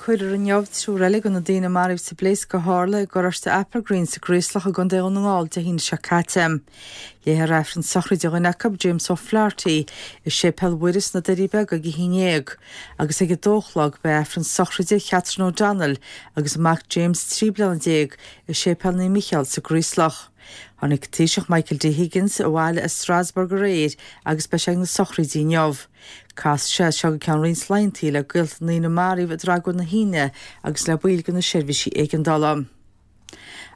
Cuirfear inniu triúr eile de na daoine a maraíodh sa bpléasc a tharla i gColáiste Applegreen sa gCraoslach i gContae Dhún na nGall Dé hAoine seo caite. Léifear Aifreann sochraide dhuine acu, James O'Flaherty, i Séipéal Mhuire sna Doirí Beaga ag a haon dhéag, agus ag a dó a chlog beidh Aifreann sochraide Chatherine O'Donnell agus a mac James, 13 bliana, i Séipéal Naomh Micheál sa gCraoslach. Tháinig Taoiseach Michael D Higgins abhaile as Strasbourg aréir agus beidh sé ag na sochraidí inniu. Casfaidh sé as seo go ceann roinnt laethantaí le gaolta na ndaoine a maraíodh i dtragóid na hAoine agus le baill de na seirbhísí éigeandála.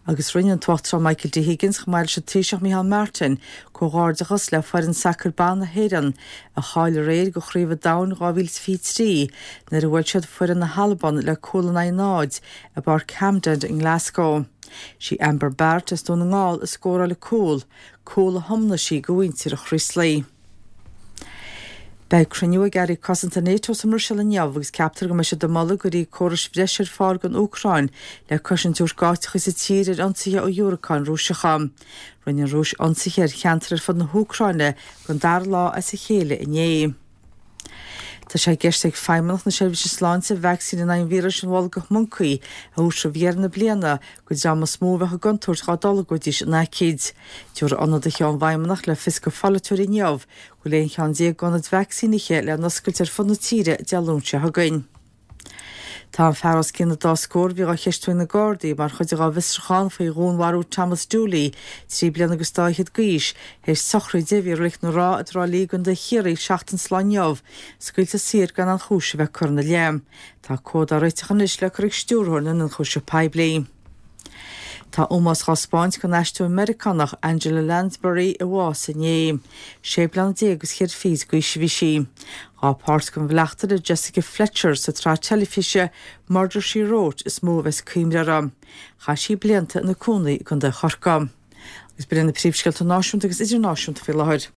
Agus rinne an tUachtarán Michael D Higgins, chomh maith leis an Taoiseach Micheál Martin, comhghairdeachas le foireann sacair ban na hÉireann, a cháiligh aréir do Chraobh an Domhain 2023, nuair a bhuail siad foireann na hAlban le cúl in aghaidh 0 i bPáirc Hampden i nGlasgow. Sí Amber Barrett as Dún na nGall a scóráil an cúl, cúl a thiomnaigh sí do mhuintir an Chraoslaigh. Beidh cruinniú ag Airí Cosanta Nato sa mBruiséil inniu agus ceaptar go mbeidh siad ag moladh go gcuirfí córais bhreise ar fáil don Úcráin le cosaint a thabhairt d'áiteacha sa tír ar ionsaithe ó dhiúracáin Rúiseacha. Rinne an Rúis ionsaithe ar cheantair ar fud na hÚcráine don dara lá as a chéile inné. Tá sé i gceist ag Feidhmeannacht na Seirbhíse Sláinte vacsaín in aghaidh an víris an bholgach moncaí a thabhairt roimh dheireadh na bliana don dream is mó a bheadh i gcontúirt dá dtolgfaidís an aicíd. Tabharfaidh ionadaithe ón bhFeidhmeannacht le fios do pholaiteoirí inniu go bhfuil 11 cheann d'ionaid vacsaínithe le n-oscailt ar fud na tíre Dé Luain seo chugainn. Tá an fear os cionn an dá scór a bhí á cheistiú ag na Gardaí mar chuid dá bhfiosrúchán faoi dhúnmharú Thomas Dooley, 13 bliana agus dá fhichead d'aois, théis sochraide a bhí i Reilig na Rátha i dTrá Lí i gContae Chiarraí seachtain sa lá inniu, scaoilte saor gan aon chúis a bheith curtha ina leith. Tá comhad á réiteach anois le cur ag Stiúrthóir na nIonchúiseamh Poiblí. Tá ómós dhá spáint don aisteoir Meiriceánach Angela Lansbury a bhásaigh inné. Sé bliana déag agus cheithre fichid d'aois a bhí sí. Dá páirt den bhleachtaire Jessica Fletcher sa tsraith teilifíse Murder She Wrote is mó a bheas cuimhne uirthi. Chaith sí blianta ina cónaí i gContae Chorcaí. Agus b'in iad na príomhscéalta náisiúnta agus idirnáisiúnta faoi láthair.